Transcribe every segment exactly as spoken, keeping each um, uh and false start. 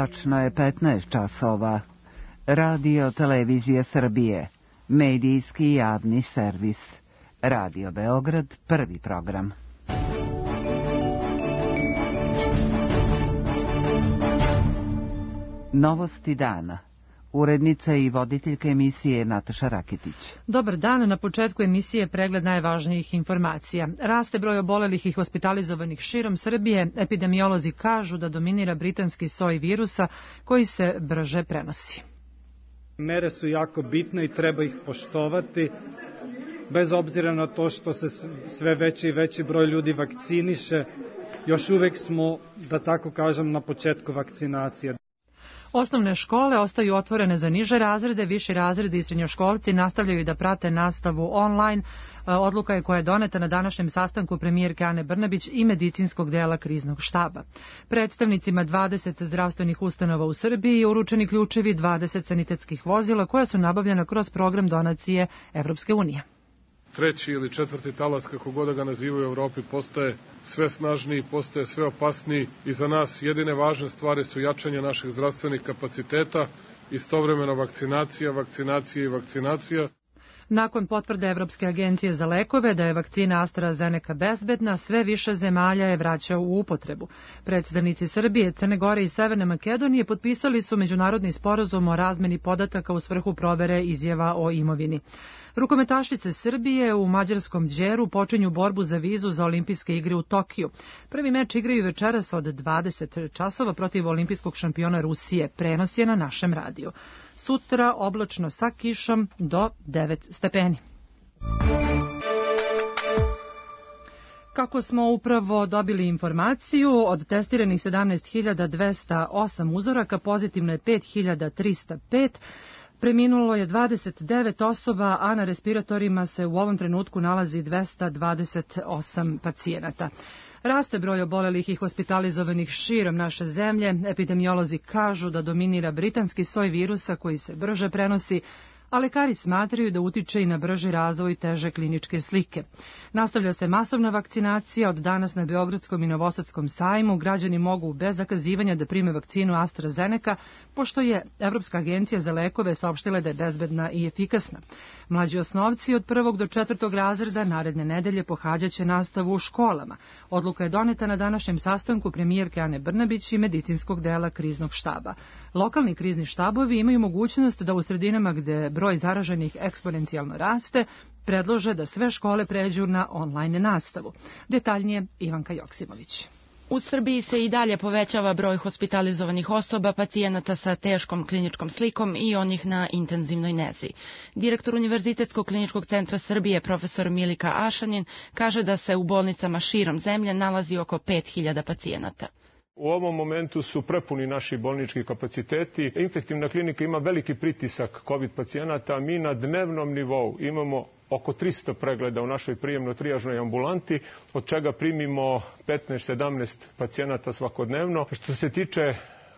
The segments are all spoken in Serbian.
Tačno je petnaest časova. Radio Televizija Srbije, medijski javni servis. Radio Beograd, prvi program. Novosti dana. Urednica i voditeljka emisije Nataša Raketić. Dobar dan, na početku emisije pregled najvažnijih informacija. Raste broj obolelih i hospitalizovanih širom Srbije. Epidemiolozi kažu da dominira britanski soj virusa koji se brže prenosi. Mere su jako bitne i treba ih poštovati, bez obzira na to što se sve veći i veći broj ljudi vakciniše. Još uvek smo, da tako kažem, na početku vakcinacije. Osnovne škole ostaju otvorene za niže razrede, viši razredi i srednjoškolci nastavljaju da prate nastavu online. Odluka je koja je doneta na današnjem sastanku premijerke Ane Brnabić i medicinskog dela kriznog štaba. Predstavnicima dvadeset zdravstvenih ustanova u Srbiji uručeni ključevi dvadeset sanitetskih vozila koja su nabavljena kroz program donacije Evropske unije. Treći ili četvrti talas, kako god da ga nazivaju u Evropi, postaje sve snažniji, postaje sve opasniji i za nas jedine važne stvari su jačanje naših zdravstvenih kapaciteta, istovremeno vakcinacija, vakcinacija i vakcinacija. Nakon potvrde Evropske agencije za lekove da je vakcina AstraZeneca bezbedna, sve više zemalja je vraćao u upotrebu. Predstavnici Srbije, Crne Gore i Severne Makedonije potpisali su međunarodni sporazum o razmeni podataka u svrhu provere izjava o imovini. Rukometašice Srbije u mađarskom Đeru počinju borbu za vizu za olimpijske igre u Tokiju. Prvi meč igraju večeras od dvadeset časova protiv olimpijskog šampiona Rusije. Prenos je na našem radiju. Sutra oblačno sa kišom do devet stepeni. Kako smo upravo dobili informaciju, od testiranih sedamnaest hiljada dvesta osam uzoraka pozitivno je pet hiljada trista pet. Preminulo je dvadeset devet osoba, a na respiratorima se u ovom trenutku nalazi dvesta dvadeset osam pacijenata. Raste broj obolelih i hospitalizovanih širom naše zemlje. Epidemiolozi kažu da dominira britanski soj virusa koji se brže prenosi, a lekari smatraju da utiče i na brži razvoj teže kliničke slike. Nastavlja se masovna vakcinacija. Od danas na Beogradskom i Novosadskom sajmu građani mogu bez zakazivanja da prime vakcinu AstraZeneca, pošto je Evropska agencija za lekove saopštila da je bezbedna i efikasna. Mlađi osnovci od prvog do četvrtog razreda naredne nedelje pohađaće nastavu u školama. Odluka je doneta na današnjem sastanku premijerke Ane Brnabić i medicinskog dela kriznog štaba. Lokalni krizni štabovi imaju mogućnost da u sredinama gde broj zaraženih eksponencijalno raste, predlože da sve škole pređu na online nastavu. Detaljnije Ivanka Joksimović. U Srbiji se i dalje povećava broj hospitalizovanih osoba, pacijenata sa teškom kliničkom slikom i onih na intenzivnoj nezi. Direktor Univerzitetskog kliničkog centra Srbije, profesor Milika Ašanin, kaže da se u bolnicama širom zemlje nalazi oko pet hiljada pacijenata. U ovom momentu su prepuni naši bolnički kapaciteti. Infektivna klinika ima veliki pritisak COVID pacijenata. Mi na dnevnom nivou imamo oko tristo pregleda u našoj prijemno-trijažnoj ambulanti, od čega primimo petnaest sedamnaest pacijenata svakodnevno. Što se tiče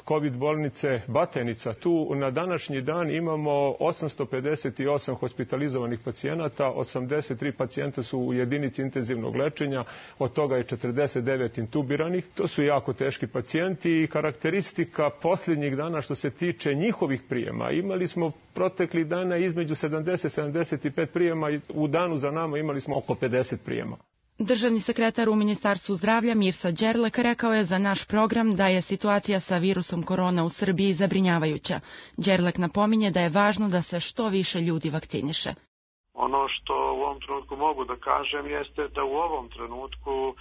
COVID bolnice Batajnica, tu na današnji dan imamo osamsto pedeset osam hospitalizovanih pacijenata, osamdeset tri pacijenta su u jedinici intenzivnog lečenja, od toga je četrdeset devet intubiranih. To su jako teški pacijenti i karakteristika posljednjih dana što se tiče njihovih prijema. Imali smo proteklih dana između sedamdeset do sedamdeset pet prijema i u danu za nama imali smo oko pedeset prijema. Državni sekretar u Ministarstvu zdravlja Mirsa Đerlek rekao je za naš program da je situacija sa virusom korona u Srbiji zabrinjavajuća. Đerlek napominje da je važno da se što više ljudi vakciniše. Ono što u ovom trenutku mogu da kažem jeste da u ovom trenutku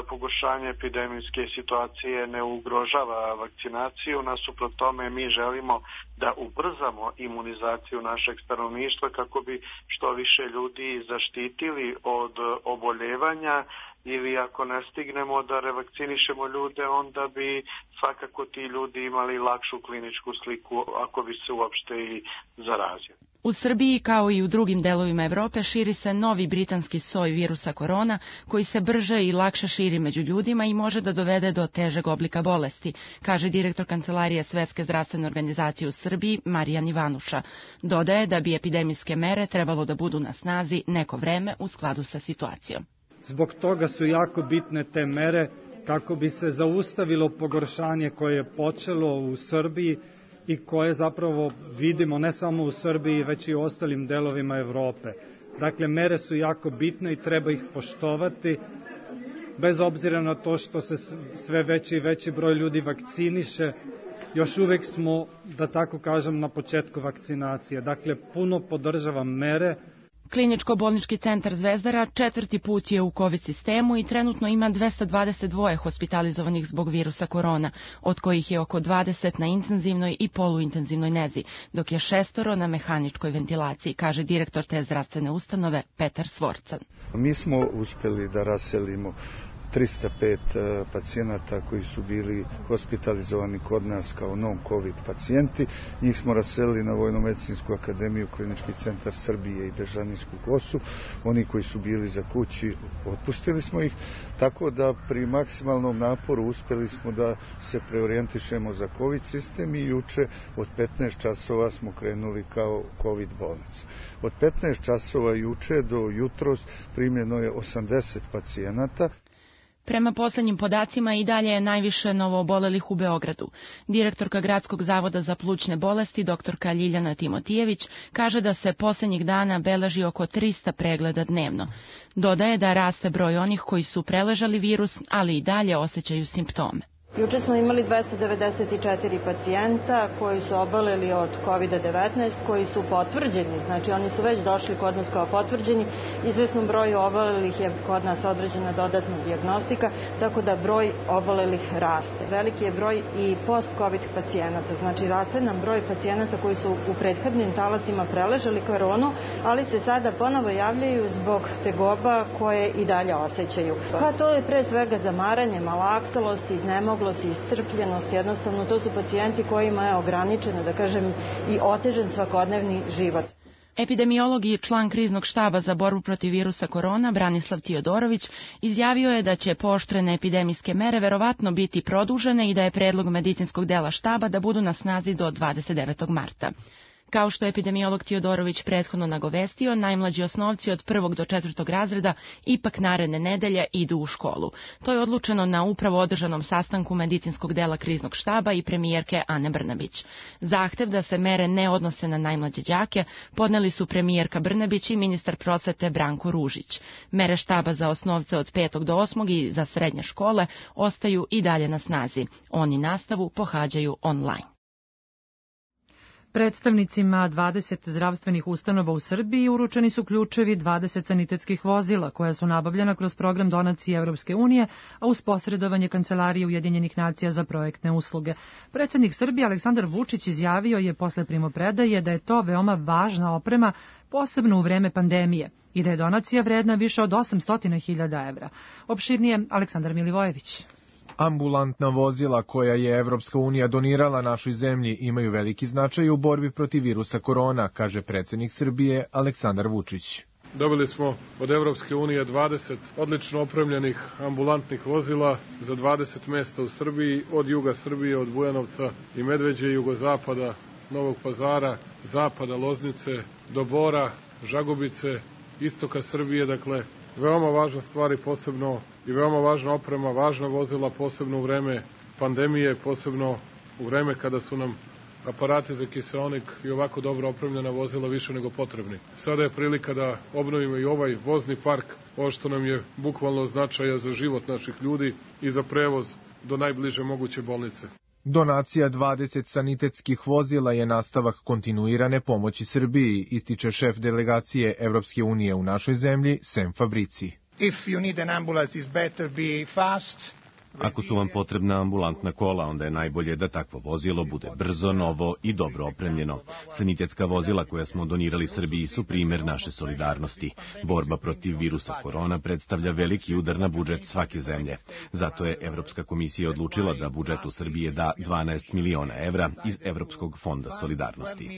pogoršanje epidemijske situacije ne ugrožava vakcinaciju. Nasuprot tome mi želimo da ubrzamo imunizaciju našeg stanovništva kako bi što više ljudi zaštitili od oboljevanja, ili ako ne stignemo da revakcinišemo ljude, onda bi svakako ti ljudi imali lakšu kliničku sliku ako bi se uopšte i zarazili. U Srbiji, kao i u drugim delovima Evrope, širi se novi britanski soj virusa korona, koji se brže i lakše širi među ljudima i može da dovede do težeg oblika bolesti, kaže direktor Kancelarije Svetske zdravstvene organizacije u Srbiji, Marijan Ivanuša. Dodaje da bi epidemijske mere trebalo da budu na snazi neko vreme u skladu sa situacijom. Zbog toga su jako bitne te mere kako bi se zaustavilo pogoršanje koje je počelo u Srbiji i koje zapravo vidimo ne samo u Srbiji, već i u ostalim delovima Evrope. Dakle, mere su jako bitne i treba ih poštovati, bez obzira na to što se sve veći i veći broj ljudi vakciniše. Još uvek smo, da tako kažem, na početku vakcinacije. Dakle, puno podržavam mere. Kliničko-bolnički centar Zvezdara četvrti put je u COVID sistemu i trenutno ima dvesta dvadeset dva hospitalizovanih zbog virusa korona, od kojih je oko dvadeset na intenzivnoj i poluintenzivnoj nezi, dok je šestoro na mehaničkoj ventilaciji, kaže direktor te zdravstvene ustanove Petar Svorcan. Mi smo uspjeli da raselimo trista pet pacijenata koji su bili hospitalizovani kod nas kao non-COVID pacijenti. Njih smo raselili na Vojno-medicinsku akademiju, Klinički centar Srbije i Bežanijsku kosu. Oni koji su bili za kući, otpustili smo ih, tako da pri maksimalnom naporu uspjeli smo da se preorijentišemo za COVID sistem i juče od petnaest časova smo krenuli kao COVID bolnica. Od petnaest časova juče do jutros primljeno je osamdeset pacijenata. Prema poslednjim podacima i dalje je najviše novoobolelih u Beogradu. Direktorka Gradskog zavoda za plućne bolesti, doktorka Ljiljana Timotijević, kaže da se poslednjih dana beleži oko trista pregleda dnevno. Dodaje da raste broj onih koji su preležali virus, ali i dalje osjećaju simptome. Juče smo imali dvesta devedeset četiri pacijenta koji su oboleli od kovid devetnaest, koji su potvrđeni, znači oni su već došli kod nas kao potvrđeni. Izvesnom broju obolelih je kod nas određena dodatna dijagnostika, tako da broj obolelih raste. Veliki je broj i post-covid pacijenata, znači raste nam broj pacijenata koji su u prethodnim talasima preležali koronu, ali se sada ponovo javljaju zbog tegoba koje i dalje osjećaju. Pa to je pre svega zamaranje, malaksalost, iznemoglost, iscrpljenost, jednostavno to su pacijenti kojima je ograničeno, da kažem, i otežan svakodnevni život. Epidemiolog i član kriznog štaba za borbu protiv virusa korona, Branislav Tiodorović, izjavio je da će pooštrene epidemijske mere verovatno biti produžene i da je predlog medicinskog dela štaba da budu na snazi do dvadeset devetog marta. Kao što je epidemiolog Tiodorović prethodno nagovestio, najmlađi osnovci od prvog do četvrtog razreda ipak naredne nedelje idu u školu. To je odlučeno na upravo održanom sastanku medicinskog dela kriznog štaba i premijerke Ane Brnabić. Zahtev da se mere ne odnose na najmlađe đake podneli su premijerka Brnabić i ministar prosvete Branko Ružić. Mere štaba za osnovce od petog do osmog i za srednje škole ostaju i dalje na snazi. Oni nastavu pohađaju online. Predstavnicima dvadeset zdravstvenih ustanova u Srbiji uručeni su ključevi dvadeset sanitetskih vozila koja su nabavljena kroz program donacije Evropske unije, a uz posredovanje Kancelarije Ujedinjenih nacija za projektne usluge. Predsjednik Srbije Aleksandar Vučić izjavio je posle primopredaje da je to veoma važna oprema, posebno u vreme pandemije, i da je donacija vredna više od osamsto hiljada evra. Opširnije Aleksandar Milivojević. Ambulantna vozila koja je Evropska unija donirala našoj zemlji imaju veliki značaj u borbi protiv virusa korona, kaže predsjednik Srbije Aleksandar Vučić. Dobili smo od Evropske unije dvadeset odlično opremljenih ambulantnih vozila za dvadeset mesta u Srbiji, od juga Srbije, od Bujanovca i Medveđe, jugozapada, Novog Pazara, zapada Loznice, do Bora, Žagubice, istoka Srbije, dakle, veoma važna stvar i posebno i veoma važna oprema, važna vozila, posebno u vreme pandemije, posebno u vreme kada su nam aparati za kiseonik i ovako dobro opremljena vozila više nego potrebni. Sada je prilika da obnovimo i ovaj vozni park, ovo što nam je bukvalno značaja za život naših ljudi i za prevoz do najbliže moguće bolnice. Donacija dvadeset sanitetskih vozila je nastavak kontinuirane pomoći Srbiji, ističe šef delegacije Evropske unije u našoj zemlji, Sem Fabrici. If you need an ambulance, it's better be fast. Ako su vam potrebna ambulantna kola, onda je najbolje da takvo vozilo bude brzo, novo i dobro opremljeno. Sanitetska vozila koja smo donirali Srbiji su primer naše solidarnosti. Borba protiv virusa korona predstavlja veliki udar na budžet svake zemlje. Zato je Evropska komisija odlučila da budžetu Srbije da dvanaest miliona evra iz Evropskog fonda solidarnosti.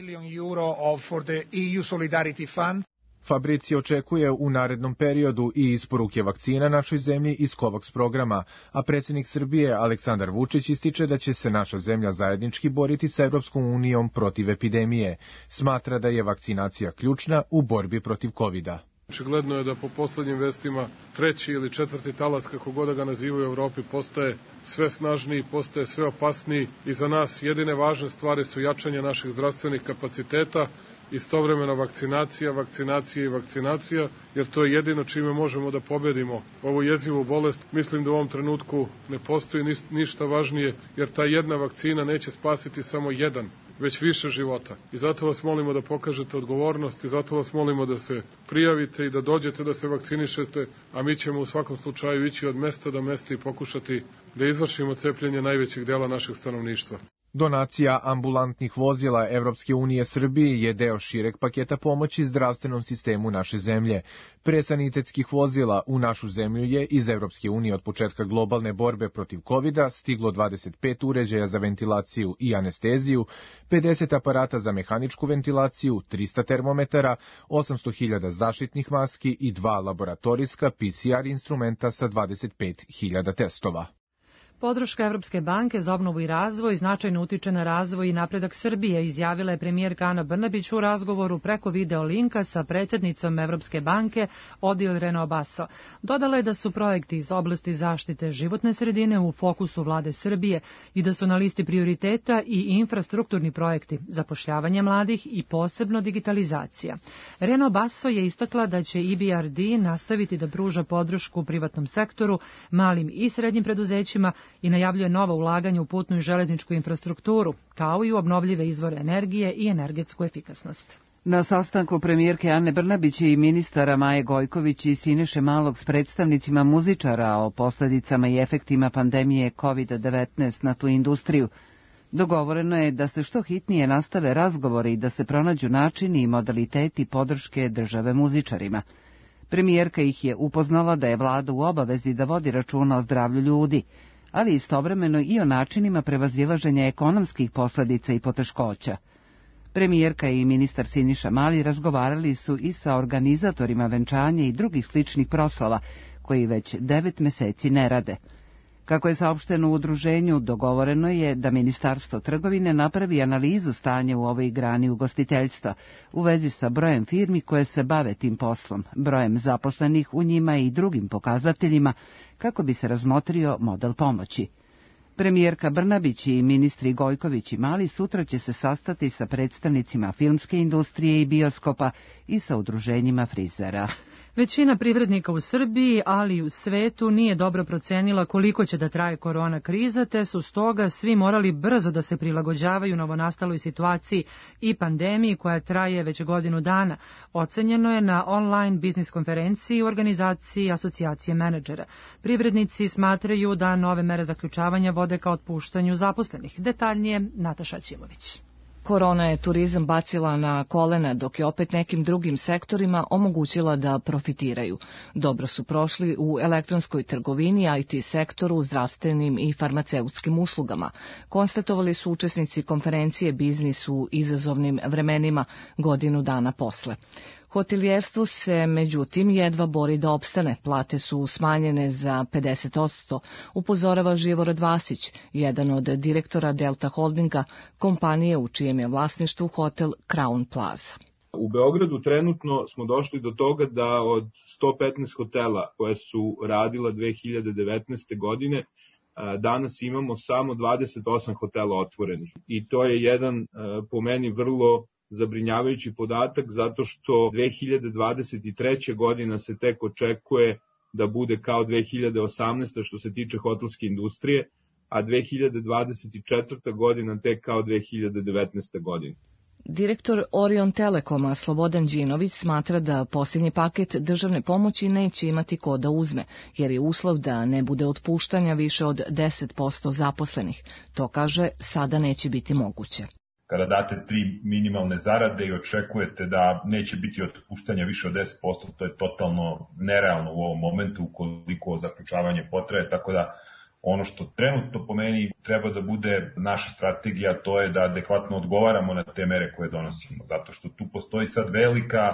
Fabrici očekuje u narednom periodu i isporuke vakcina našoj zemlji iz COVAX programa, a predsjednik Srbije Aleksandar Vučić ističe da će se naša zemlja zajednički boriti sa Evropskom unijom protiv epidemije. Smatra da je vakcinacija ključna u borbi protiv kovida. Očigledno je da po poslednjim vestima treći ili četvrti talas, kako god da ga nazivaju u Evropi, postaje sve snažniji, postaje sve opasniji i za nas jedine važne stvari su jačanje naših zdravstvenih kapaciteta, istovremeno vakcinacija, vakcinacija i vakcinacija, jer to je jedino čime možemo da pobedimo ovu jezivu bolest. Mislim da u ovom trenutku ne postoji ništa važnije, jer ta jedna vakcina neće spasiti samo jedan, već više života. I zato vas molimo da pokažete odgovornost i zato vas molimo da se prijavite i da dođete da se vakcinišete, a mi ćemo u svakom slučaju ići od mesta do mesta i pokušati da izvršimo cepljenje najvećeg dela našeg stanovništva. Donacija ambulantnih vozila Evropske unije Srbiji je deo šireg paketa pomoći zdravstvenom sistemu naše zemlje. Pre sanitetskih vozila u našu zemlju je iz Evropske unije od početka globalne borbe protiv kovida stiglo dvadeset pet uređaja za ventilaciju i anesteziju, pedeset aparata za mehaničku ventilaciju, trista termometara, osamsto hiljada zaštitnih maski i dva laboratorijska P C R instrumenta sa dvadeset pet hiljada testova. Podrška Evropske banke za obnovu i razvoj značajno utiče na razvoj i napredak Srbije, izjavila je premijerka Ana Brnabić u razgovoru preko video linka sa predsjednicom Evropske banke Odile Renobasso. Dodala je da su projekti iz oblasti zaštite životne sredine u fokusu vlade Srbije i da su na listi prioriteta i infrastrukturni projekti, zapošljavanje mladih i posebno digitalizacija. Renobasso je istakla da će E B R D nastaviti da pruža podršku privatnom sektoru, malim i srednjim preduzećima i najavljuje nova ulaganja u putnu i železničku infrastrukturu, kao i u obnovljive izvore energije i energetsku efikasnost. Na sastanku premijerke Ane Brnabić i ministara Maje Gojković i Siniše Malog s predstavnicima muzičara o posledicama i efektima pandemije kovid devetnaest na tu industriju, dogovoreno je da se što hitnije nastave razgovori i da se pronađu načini i modaliteti podrške države muzičarima. Premijerka ih je upoznala da je vlada u obavezi da vodi računa o zdravlju ljudi, ali istovremeno i o načinima prevazilaženja ekonomskih posledica i poteškoća. Premijerka i ministar Siniša Mali razgovarali su i sa organizatorima venčanja i drugih sličnih proslava, koji već devet meseci ne rade. Kako je saopšteno u udruženju, dogovoreno je da Ministarstvo trgovine napravi analizu stanja u ovoj grani ugostiteljstva u vezi sa brojem firmi koje se bave tim poslom, brojem zaposlenih u njima i drugim pokazateljima, kako bi se razmotrio model pomoći. Premijerka Brnabić i ministri Gojković i Mali sutra će se sastati sa predstavnicima filmske industrije i bioskopa i sa udruženjima frizera. Većina privrednika u Srbiji, ali i u svetu, nije dobro procenila koliko će da traje korona kriza, te su stoga svi morali brzo da se prilagođavaju novonastaloj situaciji i pandemiji koja traje već godinu dana. Ocenjeno je na online biznis konferenciji u organizaciji Asocijacije menadžera. Privrednici smatraju da nove mere zaključavanja vode ka otpuštanju zaposlenih. Detaljnije Nataša Ćimović. Korona je turizam bacila na kolena, dok je opet nekim drugim sektorima omogućila da profitiraju. Dobro su prošli u elektronskoj trgovini, I T sektoru, zdravstvenim i farmaceutskim uslugama. Konstatovali su učesnici konferencije Biznis u izazovnim vremenima godinu dana posle. Hotelijerstvo se, međutim, jedva bori da opstane. Plate su smanjene za pedeset posto, upozorava Živorad Vasić, jedan od direktora Delta Holdinga, kompanije u čijem je vlasništvu hotel Crown Plaza. U Beogradu trenutno smo došli do toga da od sto petnaest hotela koje su radila dve hiljade devetnaeste. godine, danas imamo samo dvadeset osam hotela otvorenih. I to je jedan, po meni, vrlo zabrinjavajući podatak, zato što dve hiljade dvadeset treća. godina se tek očekuje da bude kao dve hiljade osamnaesta. što se tiče hotelske industrije, a dve hiljade dvadeset četvrta. godina tek kao dve hiljade devetnaesta. godina. Direktor Orion Telekoma Slobodan Đinović smatra da posljednji paket državne pomoći neće imati ko da uzme, jer je uslov da ne bude otpuštanja više od deset posto zaposlenih. To, kaže, sada neće biti moguće. Kada date tri minimalne zarade i očekujete da neće biti otpuštanja više od deset posto, to je totalno nerealno u ovom momentu ukoliko zaključavanje potraje, tako da ono što trenutno po meni treba da bude naša strategija, to je da adekvatno odgovaramo na te mere koje donosimo, zato što tu postoji sad velika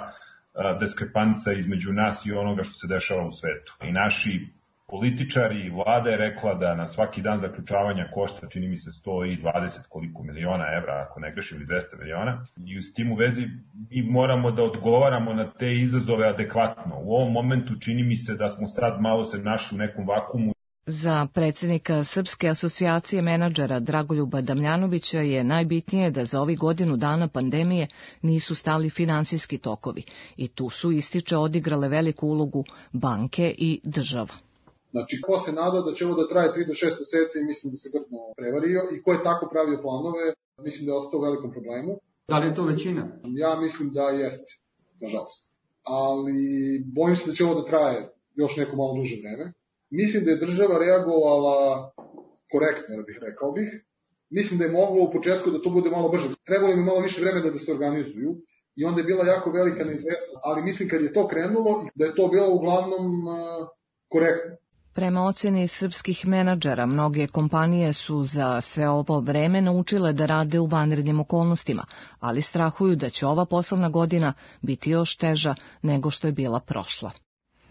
diskrepanca između nas i onoga što se dešava u svetu. I naši političari i vlada je rekla da na svaki dan zaključavanja košta, čini mi se, sto dvadeset koliko miliona evra, ako ne grešim, ili dvesta miliona. I s tim u vezi mi moramo da odgovaramo na te izazove adekvatno. U ovom momentu čini mi se da smo sad malo se našli u nekom vakumu. Za predsjednika Srpske asocijacije menadžera Dragoljuba Damljanovića je najbitnije da za ovih godinu dana pandemije nisu stali finansijski tokovi i tu su, ističe, odigrale veliku ulogu banke i država. Znači, ko se nadao da će ovo da traje tri do šest meseci, mislim da se grdno prevario, i ko je tako pravio planove, mislim da je ostao u velikom problemu. Da li je to većina? Ja mislim da jeste, nažalost. Ali bojim se da će ovo da traje još neko malo duže vreme. Mislim da je država reagovala korektno, da bih rekao bih. Mislim da je moglo u početku da to bude malo brže. Trebalo mi malo više vremena da se organizuju i onda je bila jako velika neizvesnost. Ali mislim kad je to krenulo, da je to bilo uglavnom uh, korektno. Prema ocjeni srpskih menadžera, mnoge kompanije su za sve ovo vreme naučile da rade u vanrednim okolnostima, ali strahuju da će ova poslovna godina biti još teža nego što je bila prošla.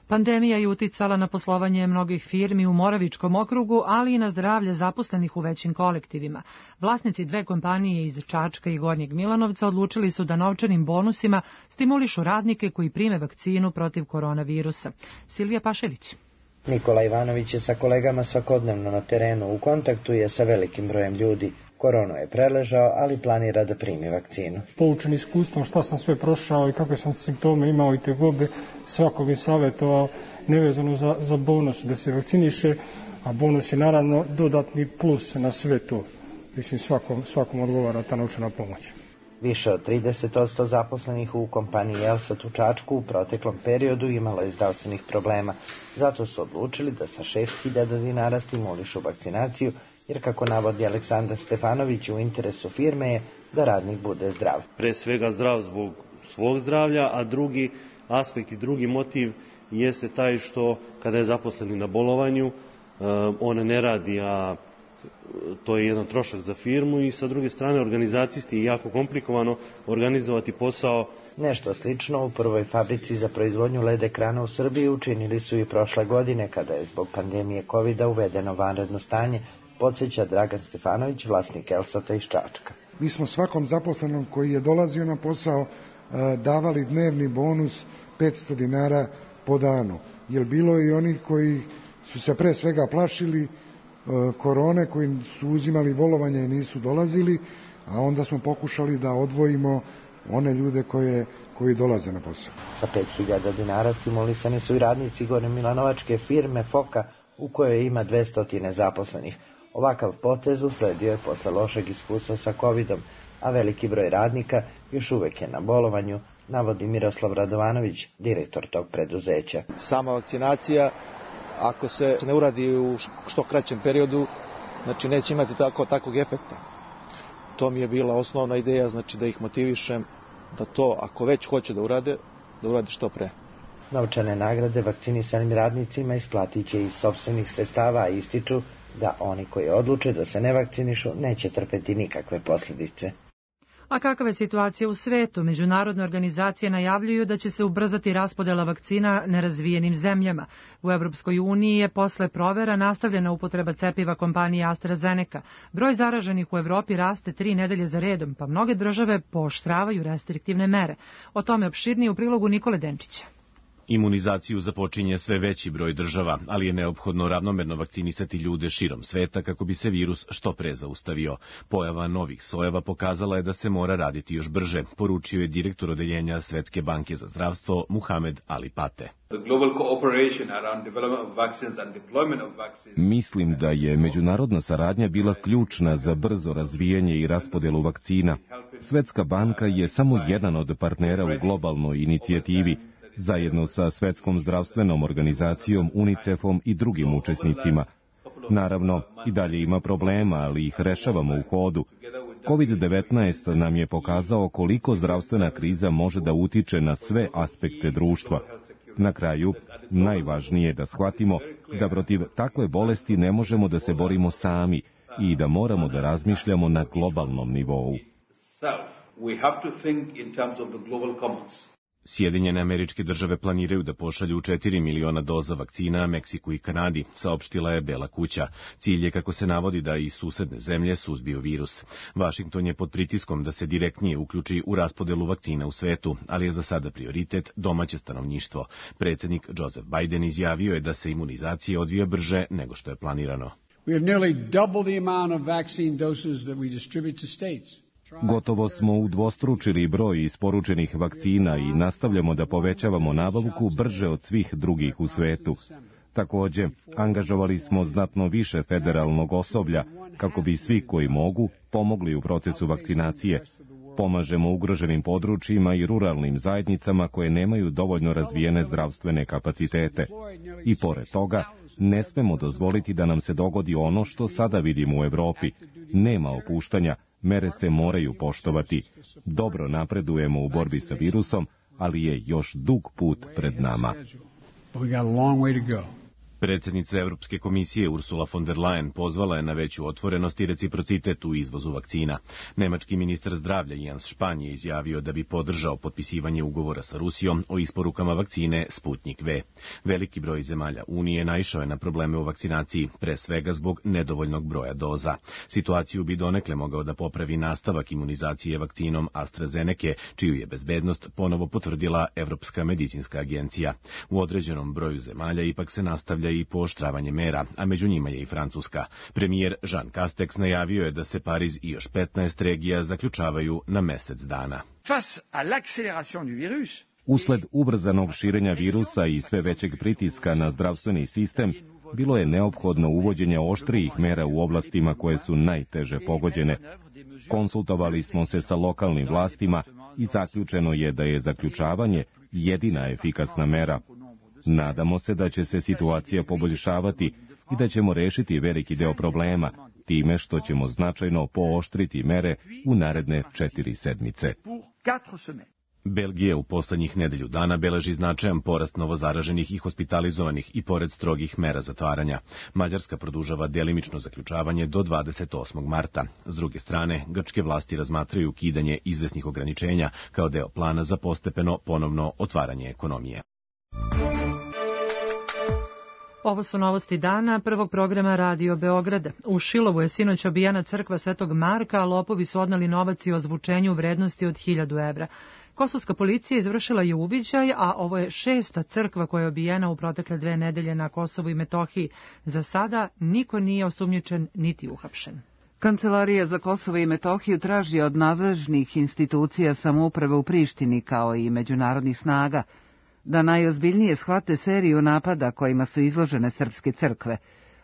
Pandemija je uticala na poslovanje mnogih firmi u Moravičkom okrugu, ali i na zdravlje zaposlenih u većim kolektivima. Vlasnici dve kompanije iz Čačka i Gornjeg Milanovca odlučili su da novčanim bonusima stimulišu radnike koji prime vakcinu protiv koronavirusa. Silvija Pašević. Nikola Ivanović je sa kolegama svakodnevno na terenu, u kontaktu je sa velikim brojem ljudi. Koronu je preležao, ali planira da primi vakcinu. Poučen iskustvom šta sam sve prošao i kakve sam simptome imao i tegobe, svakog je savjetovao nevezano za, za bonus da se vakciniše, a bonus je naravno dodatni plus na sve to. Mislim, svakom, svakom odgovara ta novčana pomoć. Više od trideset posto zaposlenih u kompaniji Elsat u Čačku u proteklom periodu imalo je zdravstvenih problema. Zato su odlučili da sa šest hiljada dinara stimulišu vakcinaciju, jer kako navodi Aleksandar Stefanović, u interesu firme je da radnik bude zdrav. Pre svega zdrav zbog svog zdravlja, a drugi aspekt i drugi motiv jeste taj što kada je zaposleni na bolovanju, on ne radi, a to je jedan trošak za firmu, i sa druge strane organizacijski je jako komplikovano organizovati posao. Nešto slično u prvoj fabrici za proizvodnju L E D ekrana u Srbiji učinili su i prošle godine, kada je zbog pandemije kovida uvedeno vanredno stanje, podsjeća Dragan Stefanović, vlasnik Elsata iz Čačka. Mi smo svakom zaposlenom koji je dolazio na posao davali dnevni bonus petsto dinara po danu, jer bilo je i onih koji su se pre svega plašili korone, koji su uzimali bolovanje i nisu dolazili, a onda smo pokušali da odvojimo one ljude koje, koji dolaze na posao. Sa pet hiljada dinara stimulisani su i radnici Gornje Milanovačke firme Foka, u kojoj ima dvesta zaposlenih. Ovakav potez usledio je posle lošeg iskustva sa covidom, a veliki broj radnika još uvek je na bolovanju, navodi Miroslav Radovanović, direktor tog preduzeća. Sama vakcinacija, ako se ne uradi u što kraćem periodu, znači neće imati tako, takvog efekta. To mi je bila osnovna ideja, znači da ih motivišem da to, ako već hoće da urade, da urade što pre. Novčane nagrade vakcinisanim radnicima isplatit će iz sopstvenih sredstava, a ističu da oni koji odluče da se ne vakcinišu neće trpeti nikakve posljedice. A kakva je situacija u svetu? Međunarodne organizacije najavljuju da će se ubrzati raspodela vakcina nerazvijenim zemljama. U Evropskoj uniji je posle provera nastavljena upotreba cepiva kompanije AstraZeneca. Broj zaraženih u Evropi raste tri nedelje za redom, pa mnoge države pooštravaju restriktivne mere. O tome opširnije u prilogu Nikole Denčića. Imunizaciju započinje sve veći broj država, ali je neophodno ravnomerno vakcinisati ljude širom sveta kako bi se virus što pre zaustavio. Pojava novih sojeva pokazala je da se mora raditi još brže, poručio je direktor odeljenja Svetske banke za zdravstvo Muhamed Ali Pate. Mislim da je međunarodna saradnja bila ključna za brzo razvijanje i raspodelu vakcina. Svetska banka je samo jedan od partnera u globalnoj inicijativi, zajedno sa Svetskom zdravstvenom organizacijom, UNICEF-om i drugim učesnicima. Naravno, i dalje ima problema, ali ih rešavamo u hodu. kovid devetnaest nam je pokazao koliko zdravstvena kriza može da utiče na sve aspekte društva. Na kraju, najvažnije je da shvatimo da protiv takve bolesti ne možemo da se borimo sami i da moramo da razmišljamo na globalnom nivou. Sjedinjene Američke Države planiraju da pošalju četiri miliona doza vakcina Meksiku i Kanadi, saopštila je Bela kuća. Cilj je, kako se navodi, da i susedne zemlje suzbiju virus. Vašington je pod pritiskom da se direktnije uključi u raspodelu vakcina u svetu, ali je za sada prioritet domaće stanovništvo. Predsjednik Joseph Biden izjavio je da se imunizacija odvija brže nego što je planirano. We have nearly double the amount of vaccine doses that we distribute to states. Gotovo smo udvostručili broj isporučenih vakcina i nastavljamo da povećavamo nabavku brže od svih drugih u svetu. Takođe, angažovali smo znatno više federalnog osoblja kako bi svi koji mogu pomogli u procesu vakcinacije. Pomažemo ugroženim područjima i ruralnim zajednicama koje nemaju dovoljno razvijene zdravstvene kapacitete. I pored toga, ne smemo dozvoliti da nam se dogodi ono što sada vidimo u Evropi. Nema opuštanja, mere se moraju poštovati. Dobro napredujemo u borbi sa virusom, ali je još dug put pred nama. Predsjednica Evropske komisije Ursula von der Leyen pozvala je na veću otvorenost i reciprocitet u izvozu vakcina. Nemački ministar zdravlja Jens Spahn je izjavio da bi podržao potpisivanje ugovora sa Rusijom o isporukama vakcine Sputnik V. Veliki broj zemalja Unije naišao je na probleme u vakcinaciji, pre svega zbog nedovoljnog broja doza. Situaciju bi donekle mogao da popravi nastavak imunizacije vakcinom AstraZeneke, čiju je bezbednost ponovo potvrdila Evropska medicinska agencija. U određenom broju zemalja ipak se nastavlja i pooštravanje mera, a među njima je i Francuska. Premijer Jean Castex najavio je da se Pariz i još petnaest regija zaključavaju na mesec dana. Usled ubrzanog širenja virusa i sve većeg pritiska na zdravstveni sistem, bilo je neophodno uvođenje oštrijih mera u oblastima koje su najteže pogođene. Konsultovali smo se sa lokalnim vlastima i zaključeno je da je zaključavanje jedina efikasna mera. Nadamo se da će se situacija poboljšavati i da ćemo rešiti veliki deo problema, time što ćemo značajno pooštriti mere u naredne četiri sedmice. Belgija u poslednjih nedelju dana beleži značajan porast novozaraženih i hospitalizovanih i pored strogih mera zatvaranja. Mađarska produžava delimično zaključavanje do dvadeset osmog marta. S druge strane, grčke vlasti razmatraju ukidanje izvesnih ograničenja kao deo plana za postepeno ponovno otvaranje ekonomije. Ovo su novosti dana prvog programa Radio Beograda. U Šilovu je sinoć obijena crkva Svetog Marka, a lopovi su odneli novac i ozvučenju u vrednosti od hiljadu evra. Kosovska policija izvršila je uviđaj, a ovo je šesta crkva koja je obijena u protekle dve nedelje na Kosovu i Metohiji. Za sada niko nije osumnjičen niti uhapšen. Kancelarija za Kosovo i Metohiju traži od nadležnih institucija samouprave u Prištini kao i međunarodnih snaga da najozbiljnije shvate seriju napada kojima su izložene srpske crkve.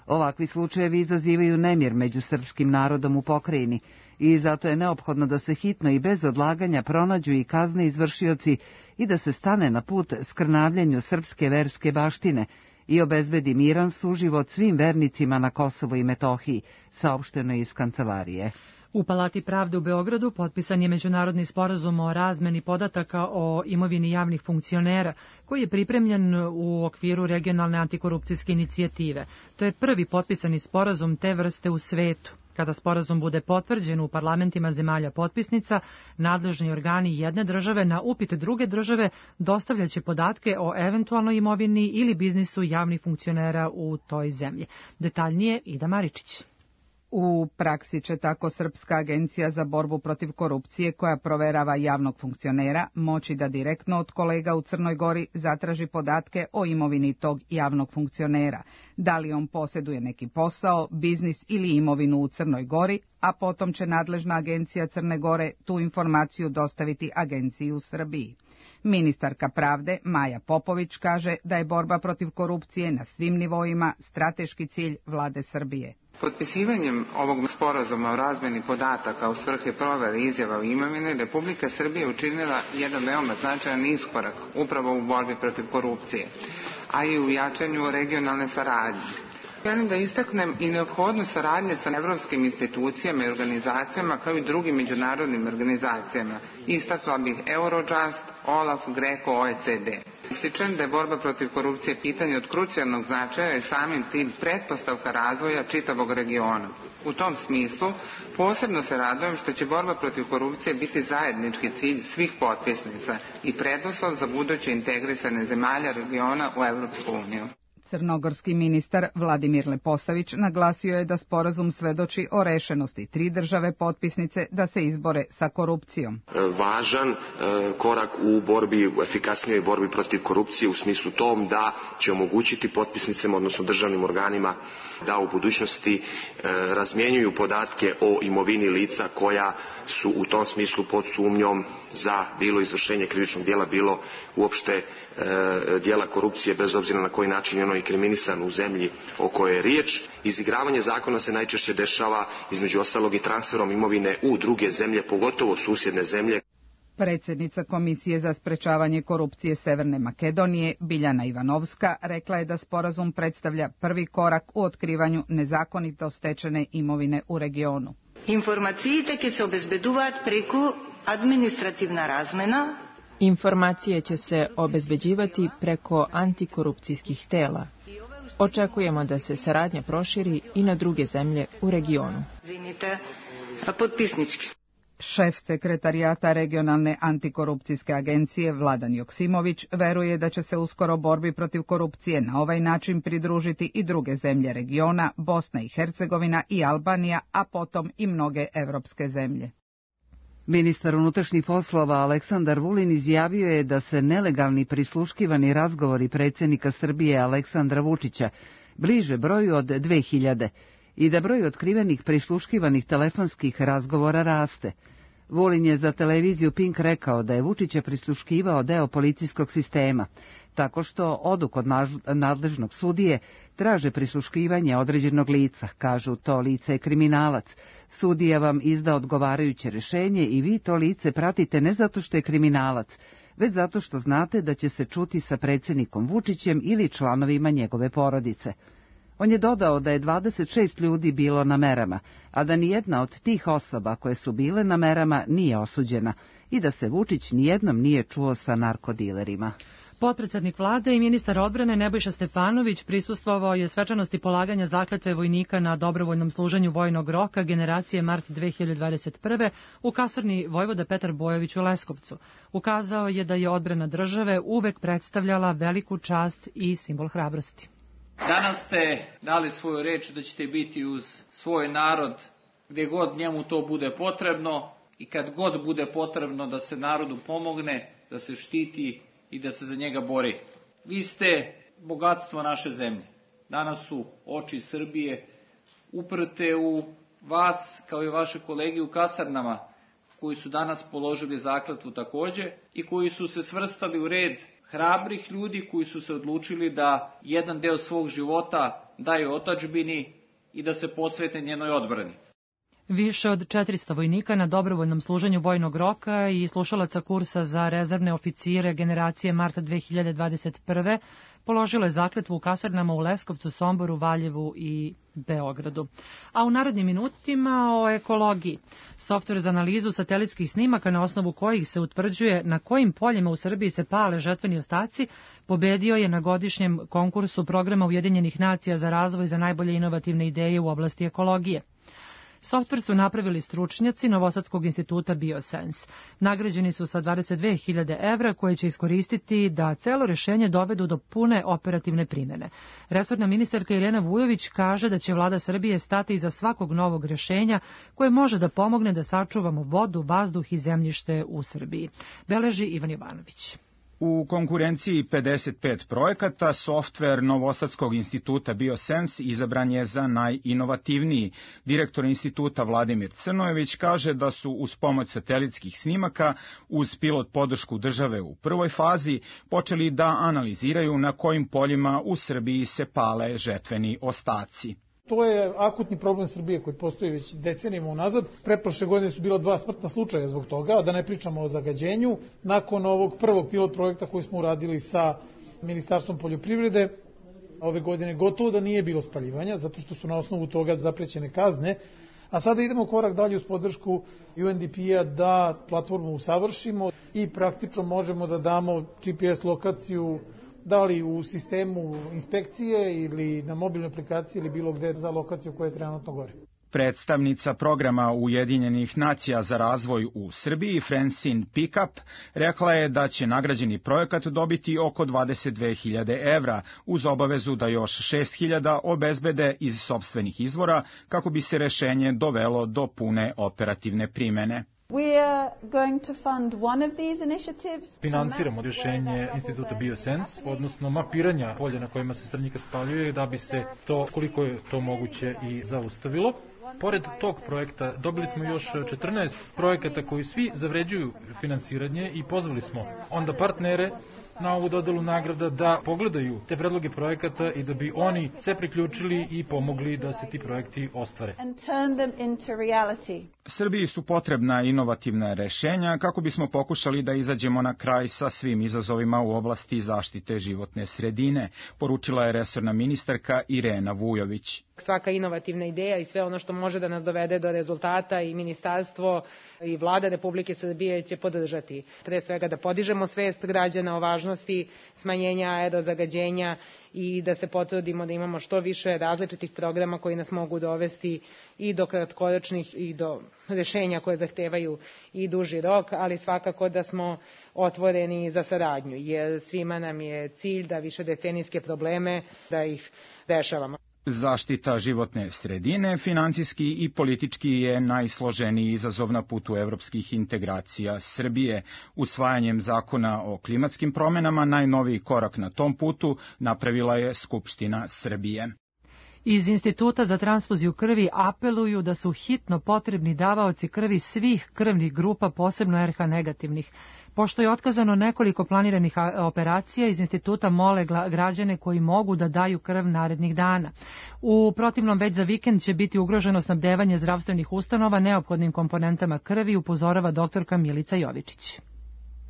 Ovakvi slučajevi izazivaju nemir među srpskim narodom u pokrajini i zato je neophodno da se hitno i bez odlaganja pronađu i kazne izvršioci i da se stane na put skrnavljenju srpske verske baštine i obezbedi miran suživot svim vernicima na Kosovu i Metohiji, saopšteno iz kancelarije. U Palati pravde u Beogradu potpisan je međunarodni sporazum o razmeni podataka o imovini javnih funkcionera, koji je pripremljen u okviru regionalne antikorupcijske inicijative. To je prvi potpisani sporazum te vrste u svetu. Kada sporazum bude potvrđen u parlamentima zemalja potpisnica, nadležni organi jedne države na upit druge države dostavljaće podatke o eventualnoj imovini ili biznisu javnih funkcionera u toj zemlji. Detaljnije Ida Maričić. U praksi će tako Srpska agencija za borbu protiv korupcije, koja proverava javnog funkcionera, moći da direktno od kolega u Crnoj Gori zatraži podatke o imovini tog javnog funkcionera, da li on posjeduje neki posao, biznis ili imovinu u Crnoj Gori, a potom će nadležna agencija Crne Gore tu informaciju dostaviti agenciji u Srbiji. Ministarka pravde Maja Popović kaže da je borba protiv korupcije na svim nivoima strateški cilj vlade Srbije. Potpisivanjem ovog sporazuma o razmeni podataka u svrhe provere izjava o imovini, Republika Srbija učinila jedan veoma značajan iskorak upravo u borbi protiv korupcije, a i u jačanju regionalne saradnje. Želim da istaknem i neophodnost saradnje sa evropskim institucijama i organizacijama kao i drugim međunarodnim organizacijama. Istakla bih Eurojust, OLAF, Greco, O E C D. Ističem da je borba protiv korupcije pitanje od krucijalnog značaja i samim tim pretpostavka razvoja čitavog regiona. U tom smislu posebno se radujem što će borba protiv korupcije biti zajednički cilj svih potpisnica i preduslov za buduće integrisane zemalja regiona u Evropsku uniju. Crnogorski ministar Vladimir Leposavić naglasio je da sporazum svedoči o rešenosti tri države potpisnice da se izbore sa korupcijom. Važan korak u borbi, u efikasnijoj borbi protiv korupcije u smislu tom da će omogućiti potpisnicama, odnosno državnim organima, da u budućnosti razmjenjuju podatke o imovini lica koja su u tom smislu pod sumnjom za bilo izvršenje krivičnog djela, bilo uopšte djela korupcije, bez obzira na koji način je ono inkriminisan u zemlji o kojoj je riječ. Izigravanje zakona se najčešće dešava između ostalog i transferom imovine u druge zemlje, pogotovo susjedne zemlje. Predsjednica Komisije za sprečavanje korupcije Severne Makedonije, Biljana Ivanovska, rekla je da sporazum predstavlja prvi korak u otkrivanju nezakonito stečene imovine u regionu. Информациите ќе се обезбедуваат преку административна размена. Informacije će se obezbeđivati preko antikorupcijskih tela. Očekujemo da se saradnja proširi i na druge zemlje u regionu. Šef sekretarijata regionalne antikorupcijske agencije Vladan Joksimović veruje da će se uskoro borbi protiv korupcije na ovaj način pridružiti i druge zemlje regiona, Bosna i Hercegovina i Albanija, a potom i mnoge evropske zemlje. Ministar unutrašnjih poslova Aleksandar Vulin izjavio je da se nelegalni prisluškivani razgovori predsjednika Srbije Aleksandra Vučića bliže broju od dve hiljade i da broj otkrivenih prisluškivanih telefonskih razgovora raste. Vulin je za televiziju Pink rekao da je Vučića prisluškivao deo policijskog sistema, tako što odu kod nadležnog sudije, traže prisluškivanje određenog lica, kažu to lice je kriminalac. Sudija vam izda odgovarajuće rješenje i vi to lice pratite ne zato što je kriminalac, već zato što znate da će se čuti sa predsjednikom Vučićem ili članovima njegove porodice. On je dodao da je dvadeset šest ljudi bilo na merama, a da nijedna od tih osoba koje su bile na merama nije osuđena i da se Vučić nijednom nije čuo sa narkodilerima. Potpredsjednik vlade i ministar odbrane Nebojša Stefanović prisustvovao je svečanosti polaganja zakletve vojnika na dobrovoljnom služenju vojnog roka generacije mart dve hiljade dvadeset prve. u kasarni Vojvoda Petar Bojović u Leskovcu. Ukazao je da je odbrana države uvek predstavljala veliku čast i simbol hrabrosti. Danas ste dali svoju reč da ćete biti uz svoj narod gdje god njemu to bude potrebno i kad god bude potrebno da se narodu pomogne, da se štiti i da se za njega bori. Vi ste bogatstvo naše zemlje. Danas su oči Srbije uprte u vas kao i vaše kolege u kasarnama koji su danas položili zakletvu također i koji su se svrstali u red hrabrih ljudi koji su se odlučili da jedan deo svog života daju otadžbini i da se posvete njenoj odbrani. Više od četiristo vojnika na dobrovoljnom služenju vojnog roka i slušalaca kursa za rezervne oficire generacije marta dve hiljade dvadeset prve. položilo je zakletvu u kasarnama u Leskovcu, Somboru, Valjevu i Beogradu. A u narednim minutima o ekologiji. Softver za analizu satelitskih snimaka na osnovu kojih se utvrđuje na kojim poljima u Srbiji se pale žetveni ostaci, pobedio je na godišnjem konkursu programa Ujedinjenih nacija za razvoj za najbolje inovativne ideje u oblasti ekologije. Softver su napravili stručnjaci Novosadskog instituta Biosense. Nagrađeni su sa dvadeset dve hiljade evra koje će iskoristiti da celo rešenje dovedu do pune operativne primjene. Resorna ministarka Irena Vujović kaže da će vlada Srbije stati iza svakog novog rešenja koje može da pomogne da sačuvamo vodu, vazduh i zemljište u Srbiji. Beleži Ivan Jovanović. U konkurenciji pedeset pet projekata, softver Novosadskog instituta Biosense izabran je za najinovativniji. Direktor instituta Vladimir Crnojević kaže da su uz pomoć satelitskih snimaka, uz pilot podršku države u prvoj fazi, počeli da analiziraju na kojim poljima u Srbiji se pale žetveni ostaci. To je akutni problem Srbije koji postoji već decenijama unazad. Pretprošle godine su bila dva smrtna slučaja zbog toga, da ne pričamo o zagađenju. Nakon ovog prvog pilot projekta koji smo uradili sa Ministarstvom poljoprivrede, ove godine gotovo da nije bilo spaljivanja, zato što su na osnovu toga zaprećene kazne A sada idemo korak dalje uz podršku U N D P-a da platformu usavršimo i praktično možemo da damo G P S lokaciju da li u sistemu inspekcije ili na mobilnoj aplikaciji ili bilo gde za lokaciju koja je trenutno gori. Predstavnica programa Ujedinjenih nacija za razvoj u Srbiji, Francine Pickup, rekla je da će nagrađeni projekat dobiti oko dvadeset dve hiljade evra, uz obavezu da još šest hiljada obezbede iz sopstvenih izvora, kako bi se rešenje dovelo do pune operativne primene. Finansiramo rješenje Instituta Biosense, odnosno mapiranja polja na kojima se strnjika spaljuje, da bi se to, koliko je to moguće, i zaustavilo. Pored tog projekta dobili smo još četrnaest projekata koji svi zavređuju finansiranje i pozvali smo onda partnere na ovu dodelu nagrada da pogledaju te predloge projekata i da bi oni se priključili i pomogli da se ti projekti ostvare. Srbiji su potrebna inovativna rešenja kako bismo pokušali da izađemo na kraj sa svim izazovima u oblasti zaštite životne sredine, poručila je resorna ministarka Irena Vujović. Svaka inovativna ideja i sve ono što može da nas dovede do rezultata i ministarstvo i vlada Republike Srbije će podržati. Pre svega da podižemo svest građana o važnosti smanjenja aerozagađenja i da se potrudimo da imamo što više različitih programa koji nas mogu dovesti i do kratkoročnih i do rešenja koje zahtevaju i duži rok, ali svakako da smo otvoreni za saradnju, jer svima nam je cilj da višedecenijske probleme da ih rešavamo. Zaštita životne sredine, finansijski i politički, je najsloženiji izazov na putu evropskih integracija Srbije. Usvajanjem zakona o klimatskim promenama najnoviji korak na tom putu napravila je Skupština Srbije. Iz Instituta za transfuziju krvi apeluju da su hitno potrebni davaoci krvi svih krvnih grupa, posebno R H negativnih. Pošto je otkazano nekoliko planiranih operacija, iz instituta mole građane koji mogu da daju krv narednih dana. U protivnom, već za vikend će biti ugroženo snabdevanje zdravstvenih ustanova neophodnim komponentama krvi, upozorava doktorka Milica Jovičić.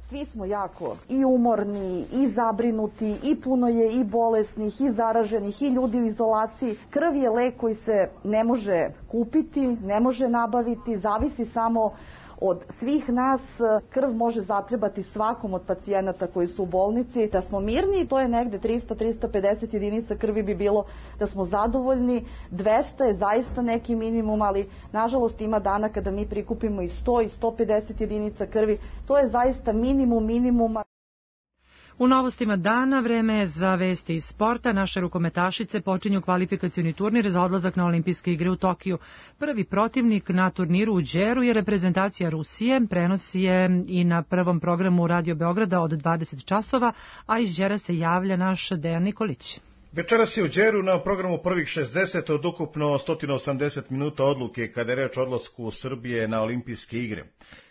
Svi smo jako i umorni, i zabrinuti, i puno je i bolesnih, i zaraženih, i ljudi u izolaciji. Krv je lek koji se ne može kupiti, ne može nabaviti, zavisi samo od svih nas. Krv može zatrebati svakom od pacijenata koji su u bolnici. Da smo mirni, to je negde trista do trista pedeset jedinica krvi bi bilo da smo zadovoljni. dvesta je zaista neki minimum, ali nažalost ima dana kada mi prikupimo i sto i sto pedeset jedinica krvi. To je zaista minimum minimuma. U novostima dana vreme je za vesti iz sporta. Naše rukometašice počinju kvalifikacioni turnir za odlazak na olimpijske igre u Tokiju. Prvi protivnik na turniru u Đeru je reprezentacija Rusije. Prenosi je i na prvom programu Radio Beograda od dvadeset časova, a iz Đera se javlja naš Dejan Nikolić. Večeras je u Đeru na programu prvih šezdeset od ukupno sto osamdeset minuta odluke kada je reč o odlasku Srbije na olimpijske igre.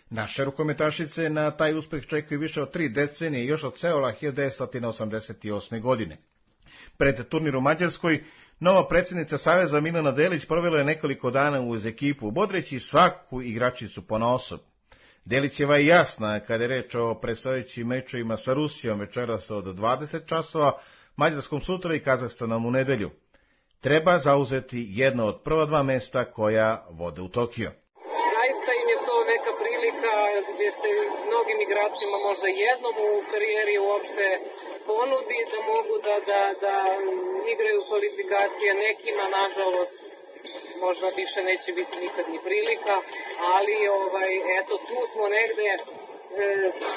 Naše rukometašice na taj uspeh čekaju više od tri decenije još od Seula hiljadu devetsto osamdeset osme. godine. Pred turnir u Mađarskoj, nova predsjednica Saveza Milena Delić provela je nekoliko dana uz ekipu, bodreći svaku igračicu ponaosob. Delićeva je jasna kada je reč o predstojećim mečevima sa Rusijom večeras od dvadeset časova, Mađarskom sutra i Kazahstanom u nedelju. Treba zauzeti jedno od prva dva mesta koja vode u Tokio. Zaista im je to neka prilika gdje se mnogim igračima možda jednom u karijeri uopšte ponudi da mogu da, da, da igraju kvalifikacije, nekima nažalost možda više neće biti nikad ni prilika, ali ovaj, eto tu smo negde e,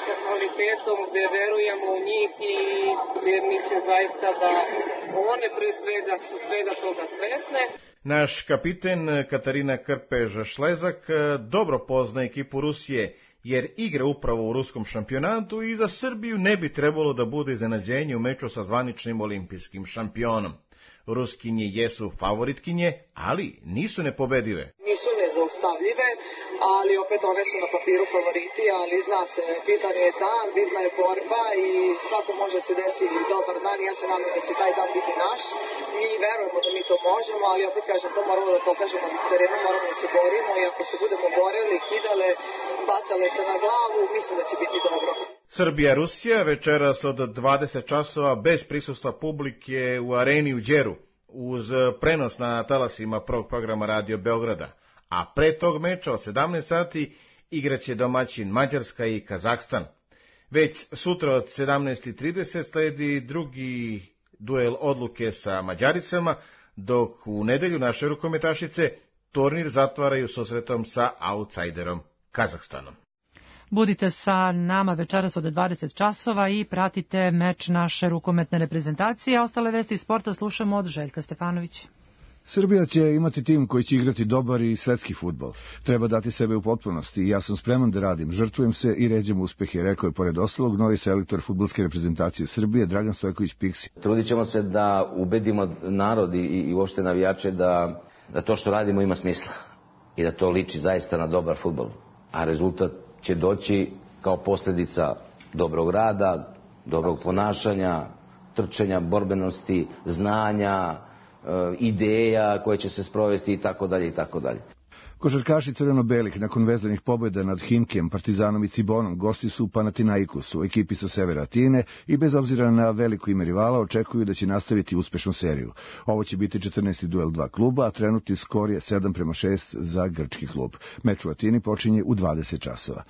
sa kvalitetom gde verujemo u njih i gde mislim zaista da one pre svega su svega toga svesne. Naš kapiten Katarina Krpež-Šlezak dobro pozna ekipu Rusije, jer igra upravo u ruskom šampionatu i za Srbiju ne bi trebalo da bude iznenađenje u meču sa zvaničnim olimpijskim šampionom. Ruskinje jesu favoritkinje, ali nisu nepobedive. Nisu nezaustavljive, ali opet one su na papiru favoriti, ali zna se, bitan je dan, bitna je borba i svako može se desiti dobar dan. Ja se nadam da će taj dan biti naš. Mi verujemo da mi to možemo, ali opet kažem, to moramo da pokažemo na terenu, moramo da se borimo i ako se budemo borili, kidale, bacale se na glavu, mislim da će biti dobro. Srbija-Rusija večeras od dvadeset časova bez prisustva publike u areni u Đeru, uz prenos na talasima prvog programa Radio Beograda. a pre tog meča od sedamnaest sati igraće domaćin Mađarska i Kazahstan. Već sutra od sedamnaest i trideset sledi drugi duel odluke sa Mađaricama, dok u nedelju naše rukometašice turnir zatvaraju susretom sa outsiderom Kazahstanom. Budite sa nama večeras od dvadeset časova i pratite meč naše rukometne reprezentacije. Ostale vesti sporta slušamo od Željka Stefanovića. Srbija će imati tim koji će igrati dobar i svetski fudbal. Treba dati sebe u potpunosti i ja sam spreman da radim. Žrtvujem se i ređem uspehe, rekao je pored ostalog novi selektor fudbalske reprezentacije Srbije Dragan Stojković Piksi. Trudit ćemo se da ubedimo narod i, i uopšte navijače da, da to što radimo ima smisla i da to liči zaista na dobar fudbal. A rezultat će doći kao posljedica dobrog rada, dobrog ponašanja, trčanja, borbenosti, znanja, ideja koje će se sprovesti i tako dalje i tako dalje. Košarkaši crveno-belih nakon vezanih pobjeda nad Himkem, Partizanom i Cibonom gosti su u Panathinaikosu, ekipi sa severa Atine, i bez obzira na veliko ime rivala očekuju da će nastaviti uspešnu seriju. Ovo će biti četrnaesti duel dva kluba, a trenutni skor je sedam prema šest za grčki klub. Meč u Atini počinje u dvadeset časova.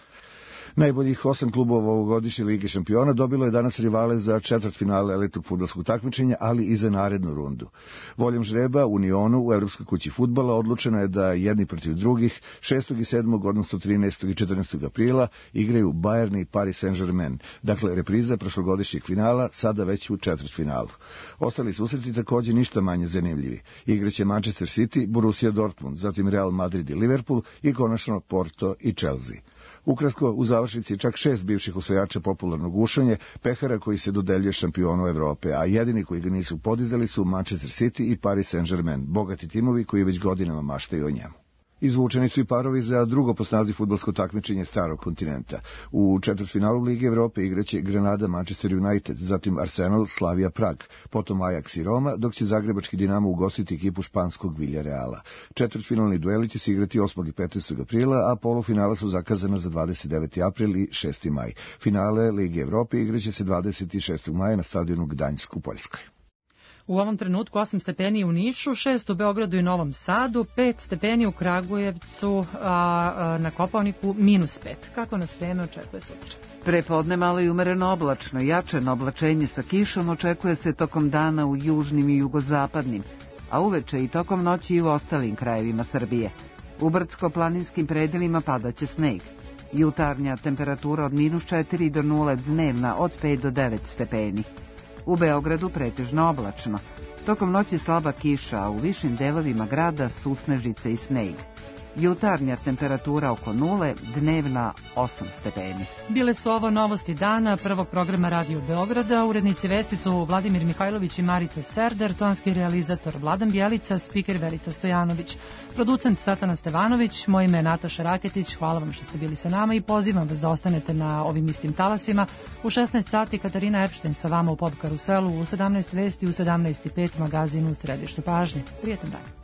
Najboljih osam klubova ovogodišnje Lige šampiona dobilo je danas rivale za četvrtfinale elitnog fudbalskog takmičenja, ali i za narednu rundu. Voljom žreba Unionu u Evropskoj kući fudbala odlučeno je da jedni protiv drugih šestog i sedmog odnosno trinaestog i četrnaestog aprila igraju Bayern i Paris Saint-Germain, dakle repriza prošlogodišnjeg finala, sada već u četvrtfinalu. Ostali susreti također ništa manje zanimljivi. Igraće Manchester City, Borussia Dortmund, zatim Real Madrid i Liverpool i konačno Porto i Chelsea. Ukratko, u završnici čak šest bivših osvajača popularnog gušanja, pehara koji se dodeljuje šampionu Evrope, a jedini koji ga nisu podizali su Manchester City i Paris Saint-Germain, bogati timovi koji već godinama maštaju o njemu. Izvučeni su i parovi za drugo po snazi fudbalsko takmičenje starog kontinenta. U četvrtfinalu Lige Evrope igraće Granada Manchester United, zatim Arsenal Slavia Prag, potom Ajax i Roma, dok će zagrebački Dinamo ugostiti ekipu španskog Villareala. Četvrtfinalni dueli će se igrati osmog i petnaestog aprila, a polufinala su zakazana za dvadeset deveti april i šesti maj. Finale Lige Evrope igraće se dvadeset šestog maja na stadionu Gdanjsk u Poljskoj. U ovom trenutku osam stepeni u Nišu, šest u Beogradu i Novom Sadu, pet stepeni u Kragujevcu, a, a na Kopaoniku minus pet. Kako nas vreme očekuje sutra? Prepodne malo i umereno oblačno, jačeno oblačenje sa kišom očekuje se tokom dana u južnim i jugozapadnim, a uveče i tokom noći i u ostalim krajevima Srbije. U brdsko-planinskim predelima padaće sneg. Jutarnja temperatura od minus četiri do nula, dnevna od pet do devet stepeni. U Beogradu pretežno oblačno. Tokom noći slaba kiša, a u višim delovima grada susnežice i sneg. Jutarnja temperatura oko nule, dnevna osam stepeni. Bile su ovo novosti dana prvog programa Radio Beograda. Urednici vesti su Vladimir Mihajlović i Marica Serder, tonski realizator Vladan Bjelica, spiker Verica Stojanović, producent Svetlana Stevanović, moje ime je Nataša Raketić. Hvala vam što ste bili sa nama i pozivam vas da ostanete na ovim istim talasima. U šesnaest sati Katarina Epšten sa vama u Pop Karuselu, u sedamnaest vesti, u sedamnaest i pet magazinu u središtu pažnje. Prijetan dan.